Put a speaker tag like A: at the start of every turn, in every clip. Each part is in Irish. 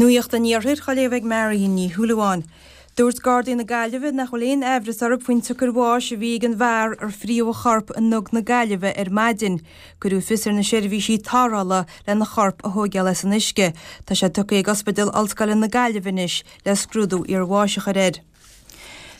A: Nuacht an Iarthair á léamh ag Marion Ní Shúilleabháin. Dúirt Gardaí na Gaillimhe nach bhfuil aon aimhreas orthu faoin tsiocair bháis a bhí ag an bhfear ar fríodh a chorp i nDug na Gaillimhe ar maidin. Cuireadh fios ar na seirbhísí tarrthála lena chorp a thóigeáil as an uisce. Tá sé tugtha ag Ospidéal Ollscoile na Gaillimhe anois le scrúdú iarbháis a chur air.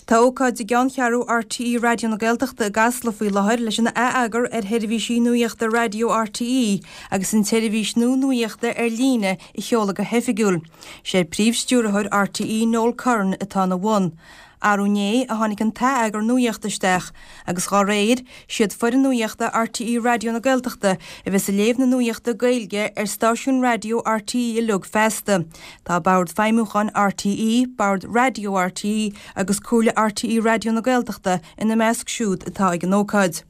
A: Tá ócáid i gceanncheathrú RTÉ Raidió na Gaeltachta i gCasla faoi láthair leis an ath-eagar ar sheirbhísí nuachta raidió RTÉ agus an tseirbhís nua nuachta ar líne a sheoladh go hoifigiúil. Sé Príomh-Stiúrthóir RTÉ Noel Curran atá ina bhun. Arú inné a tháinig an t-ath-eagar nuachta isteach agus dhá réir, siad foireann nuachta RTÉ Raidió na Gaeltachta a bheas ag léamh na nuachta Gaeilge ar stáisiúin raidió RTÉ uilig feasta. Tá Bord Feidhmiúcháin RTÉ, Bord Raidió RTÉ agus Comhairle RTÉ Raidió na Gaeltachta ina measc siúd atá ag an ócáid.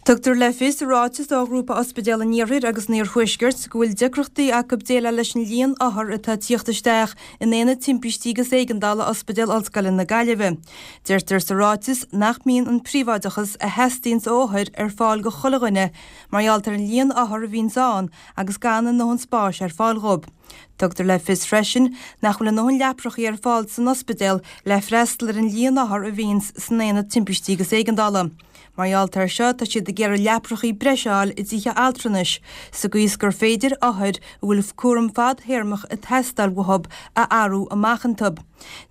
A: Tugtar le fios i ráiteas ó Ghrúpa Ospidéal an Iarthair agus an Iarthuaiscirt go bhfuil deacrachtaí acu déileáil leis an líon othar atá ag tíocht isteach in Aonad Timpistí agus Éigeandála Ospidéal Ollscoile na Gaillimhe. Deirtear sa ráiteas nach mbíonn an príobháideachas a theastaíonns ó othair ar fáil go chuile dhuine mar gheall ar an líon othar a bhíonns ann agus gan a ndóthain spáis ar fáil dhób. Tugtar le fios freisin nach bhfuil a ndóthain leaprachaí ar fáil san ospidéal le freastal ar an líon othar a bhíonns san Aonad Timpistí agus Éigeandála. Mar gheall air seo tá siad ag iarraidh leaprachaí breise a fháil i dtithe altranais sa gcaoi is gur féidir othair a bhfuil cúram fadthéarmach ag teastáil uathub a athrú amach iontub.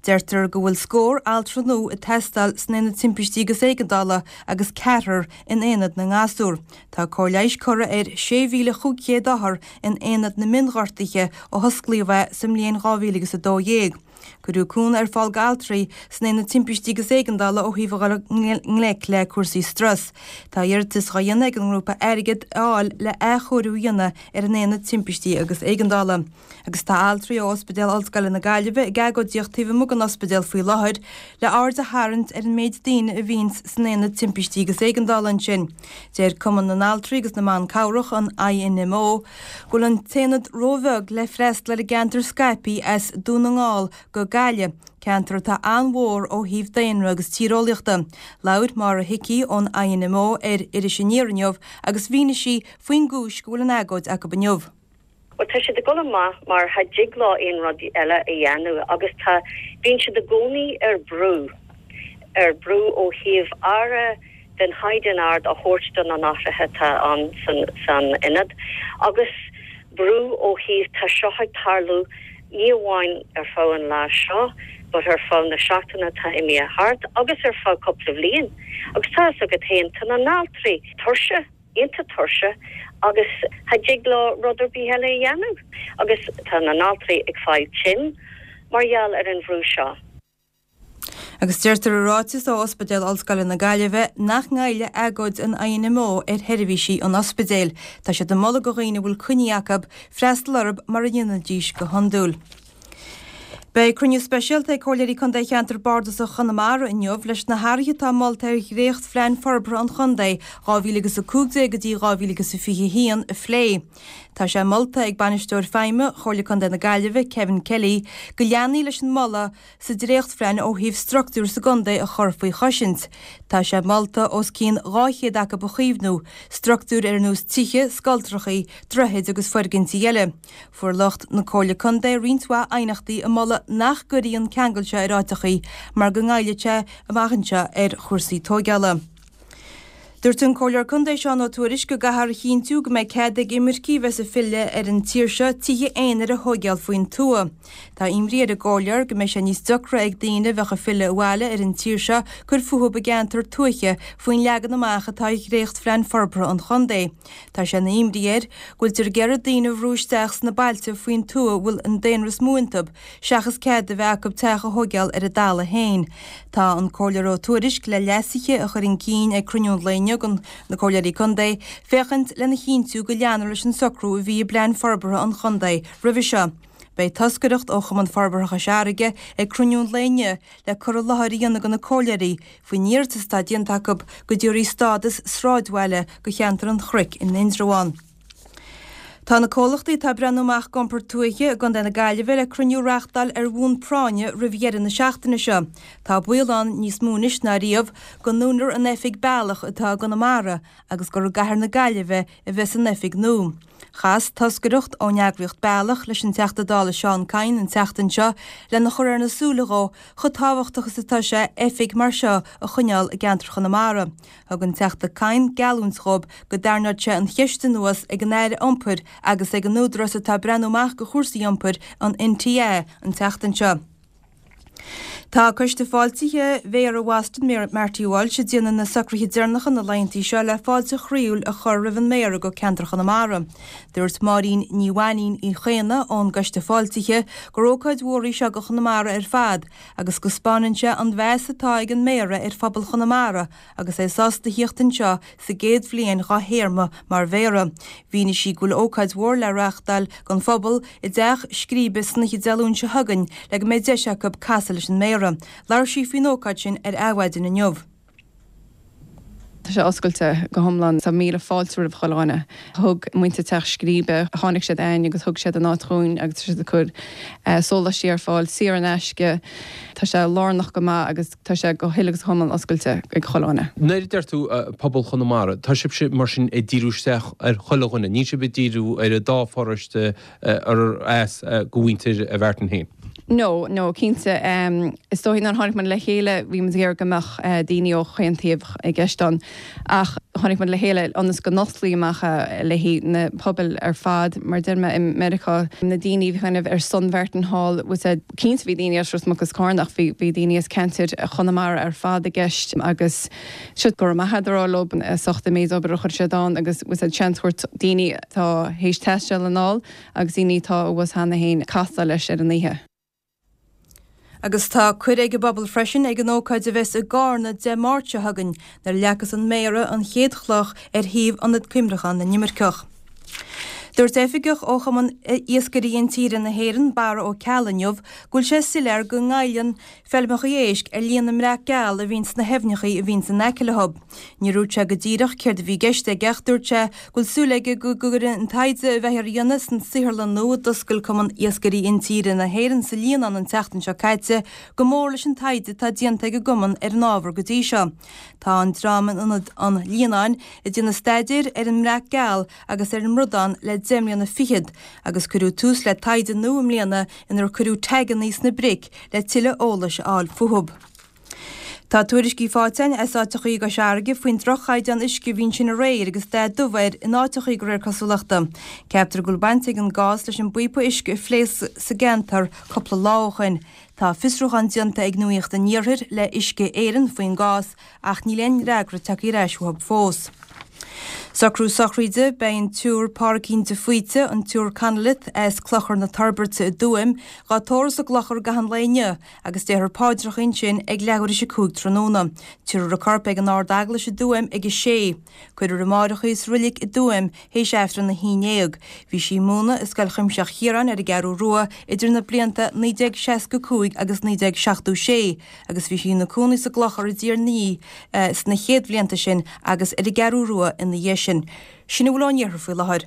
A: Deirtear go bhfuil scór altra nua ag teastáil san Aonad Timpistí agus Éigeandála agus ceathrar in Aonad na nGasúr. Tá cóir leighis curtha ar 6,500 othar in Aonad na Mionghortuithe ó hosclaíodh é sa mbliain 2012. Cuireadh cúnamh ar fáil d'altraí san Aonad Timpistí agus Éigeandála ó thaobh a dhul i ngleic le cúrsaí strus. Tá iarratas dhá dhéanamh ag an ngrúpa airgead a fháil le athchóiriú a dhéanamh ar an Aonad Timpistí agus Éigeandála. Agus tá altraí ó Ospidéal Ollscoile na Gaillimhe ag agóidíocht taobh amuigh den ospidéal faoi láthair le aird a tharraingt ar an méid daoine a bhíonns san Aonad Timpistí agus Éigeandála ansin. Deir Cumann na nAltraí agus na mBan Cabhrach, an INMO, go bhfuil an t-aonad róbheag le freastal ar an gceantar scaipthe as Dún na nGall go Gaillimh, ceantar atá an-mhór ó thaobh daonra agus tíreolaíochta. Labhair Máire Hickey ón INMO ar Iris Aniar inniu agus mhínigh sí faoin gcúis go bhfuil an agóid acu inniu.
B: Bhuel, tá siad ag dul amach mar cha dtig leo aon rud eile a dhéanamh agus tá, bíonn siad i gcónaí ar brú, ar brú ó thaobh aire den chaighdeán ard a thabhairt do na n-athruithe atá ann san, san ionad agus brú ó thaobh tá seo ag tarlú ní amháin ar feadh an lá seo but ar feadh na seachtaine atá imithe thart agus ar feadh cúpla bhliain agus tá fhios agat féin, tá na n-altraí tuirseach. iontach tuirseach agus cha dtig leo rud ar bith eile a dhéanamh agus tá na n-altraí ag fáil tinn mar gheall ar an bhrú seo.
A: Agus deirtear i ráiteas ó Ospidéal Ollscoile na Gaillimhe nach ngoillfidh agóid an INMO ar sheirbhísí an ospidéil. Tá siad ag moladh do dhaoine a bhfuil coinní acu freastal orthu mar a dhéanfaidís go hiondúil. Beidh cruinniú speisialta ag Comhairleoirí Contae Cheantar Bardasach Chonamara inniu leis na hathruithe atá molta ar dhréacht-phlean forbartha an chontae 2015 go dtí 2021 a phlé. Tá sé molta ag Bainisteoir Feidhme Chomhairle Contae na Gaillimhe, Kevin Kelly, go leanfaí leis an moladh sa dréachtphlean ó thaobh structúir sa gcontae a chur faoi chosaint. Tá sé molta os cionn 200 acu a chaomhnú, structúir ar nós tithe, scoltrachaí, droichid agus foirgintí eile. Fuair lucht na Comhairle Contae roinnt mhaith aighneachtaí ag moladh nach gcuirfí an ceangal seo ar áiteachaí mar go ngoillfeadh sé amach anseo ar chúrsaí tóigeála. Dúirt an Comhairleoir Contae Seán Ó Tuairisg go gcaithfear a chinntiú go mbeidh cead ag imircigh a bheas ag filleadh ar an tír seo tithe aonair a thóigeáil faoin tuath. Tá imní ar an gComhairleoir go mbeidh sé níos deacra ag daoine a bheadh ag filleadh abhaile ar an tír seo cur fúthu i gceantar tuaithe faoin leagan amach atá ar dhréachtphlean forbartha an chontae. Tá sé ina imní air go bhfuiltear ag iarraidh daoine a bhrú isteach sna bailte faoin tuath a bhfuil an daonra is mó iontu, seachas cead a bheith acu teach a thóigeáil ar a dtalamh féin. Tá an Comhairleoir Ó Tuairisg le leasuithe a chur chun cinn ag cruinniú an lae inniu de na Comhairleoirí Contae féachaint lena chinntiú go leanfar leis an socrú a bhí i bplean forbartha an chontae roimhe seo. Beidh toscaireacht ó Chumann Forbartha Chois Fharraige ag cruinniú an lae inniu le cur i láthair a dhéanamh do na Comhairleoirí faoin iarratas atá déanta acu go dtabharfaí stádas sráidbhaile go cheantar an Chnoic in Indreabhán. Tá na comhlachtaí atá ag breathnú amach d'iompar tuaithe i gContae na Gaillimhe le cruinniú a reachtáil ar bhonn práinne roimh dheireadh na seachtaine seo. Tá baol ann níos mó anois ná riamh go ndúnfar an oifig bealach atá i gConamara agus gur i gcathair na Gaillimhe a bheas an oifig nua. Chas toscaireacht ón eagraíocht Bealach leis an Teachta Dála Seán Kyne an tseachtain seo lena chur ar na súile dhó chomh tábhachtach is atá sé oifig mar seo a choinneáil i gceantar Chonamara. Thug an Teachta Kyne geallúint dhóibh go dtarraingeodh sé an cheist anuas ag an Aire Iompair agus ag an údarás atá ag breathnú amach go chúrsaí iompair, an NTA, an tseachtain seo. Tá Coiste Fáiltithe Mhéara Bhoston, Marty Walsh, ag déanamh na socruithe deireanacha na laethanta seo le fáilte chroíúil a chur roimh an Méara go ceantar Chonamara. Dúirt Máirín Ní Mhainín Uí Chaonna ón gCoiste Fáiltithe gur ócáid mhór í seo go Chonamara ar fad agus go spáineann sé an mheas atá ag an Méara ar phobal Chonamara agus é sásta a thíocht anseo sa gcéad bhliain dhá théarma mar Mhéara. Mhínigh sí go bhfuil ócáid mhór le reáchtáil don phobal i dTeach Scríbe san oíche Dé Luain seo chugainn le go mbeidh deis acu casadh leis an Méara. Labhair sí faoin ócáid sin ar Adhmhaidin inniu.
C: Tá sé oscailte go hiomlán. Tá míle fáilte roimh chuile dhuine. Thug muintir Teach Scríbe, tháinig siad a'ainn agus thug siad an áit dhúinn agus tá siad ag cur sóláistí ar fáil saor in aisce. Tá sé lárnach go maith agus tá sé go huile agus go hiomlán oscailte ag chuile dhuine.
D: Nuair a deir tú pobal Chonamara, tá sibhse mar sin ag díriú isteach ar chuile dhuine, níl sibh ag díriú ar an dá pharóiste as go mhuintir Mhartin féin?
C: No, no, cinnte. Is dóigh nuair a tháinig muid le chéile, bhí muid ag iarraidh go mbeadh daoine ó chaon taobh i gceist ann. Ach tháinig muid le chéile ionas go n-osclaí amach le haghaidh na pobail ar fad. Mar deir mé, i Meiriceá, na daoine a bhí kind of ar son Mhartin Hall, was a, cinnte bhí daoine as Ros Muc is Carna ach bhí, bhí daoine as ceantar Chonamara ar fad i gceist agus seo go raibh maith agat a rá leo as ucht an méid obair a chuir siad ann agus was a chance a thabhairt daoine atá théis taisteal anall agus daoine atá abhus cheana féin castáil leis ar an oíche.
A: Agus tá cuireadh ag an bpobal freisin ag an ócáid a bheas i gCarna Dé Máirt seo chugainn nuair a leagfas an Méara an chéad chloch ar shuíomh Ionad Cuimhneacháin na nImirceach. Dúirt oifigeach ó Chumann Iascairí Intíre na hÉireann, Barra Ó Ceallaigh inniu go bhfuil sé soiléir go ngoilleann feilmeacha éisc ar líon na mbreac geal a bhíonn sna haibhneacha a bhíonns in aice leo. Níor dhúirt sé go díreach céard a bhí i gceist aige ach dúirt sé go bhfuil súil aige go gcuirfidh an taighde a bheifear a dhéanamh san saotharlann nua a d'oscail Cumann Iascairí Intíre na hÉireann sa Líonán an tseachtain seo caite go mór leis an taighde atá déanta ag an gcumann ar an ábhar go dtí seo. Tá an dream in Ionad an Líonáin ag déanamh staidéir ar an mbreac geal agus ar an mbradán le deich mbliana fichead agus cuireadh tús le taighde nua i mbliana inar cuireadh taganna sna bric le tuilleadh eolais a fháil fúthu. Tá tuairiscí faighte againn as áiteachaí i gCois Fharraige faoin droch-chaighdeán uisce a bhí ansin aréir agus dath dubh air in áiteachaí de réir cosúlachta. Ceaptar go bhfuil baint ag an gcás leis an bpíopa uisce a phléasc sa gceantar cúpla lá ó shoin. Tá fiosrúchán déanta ag Nuacht an Iarthair le Uisce Éireann faoin gcás ach níl aon fhreagra tagtha ar ais uathu fós. Socrú sochraide, Beidh an tSiúr Pádraigín de Faoite, an tSiúr Conleth as Clochar na Toirbhirte i dTuaim, dhá tórramh sa gClochar i gcaitheamh an lae inniu agus déarfar paidreacha ansin ag leathuair théis 5 tráthnóna. Tabharfar a corp ag an Ard-Eaglais i dTuaim ag a sé. Cuirfear amáireach í sa roilig i dTuaim théis Aifreann a haon dhéag. Bhí sí ag múineadh i Scoil Chuimsitheach Chiaráin ar an gCeathrú Rua idir na blianta 1965 agus 1976 agus bhí sí ina cónaí sa gClochar i dTír an Fhia sna chéad bhlianta sin agus ar an gCeathrú Rua ina dhiaidh sin. Sin a bhfuil ón iarthar faoi láthair.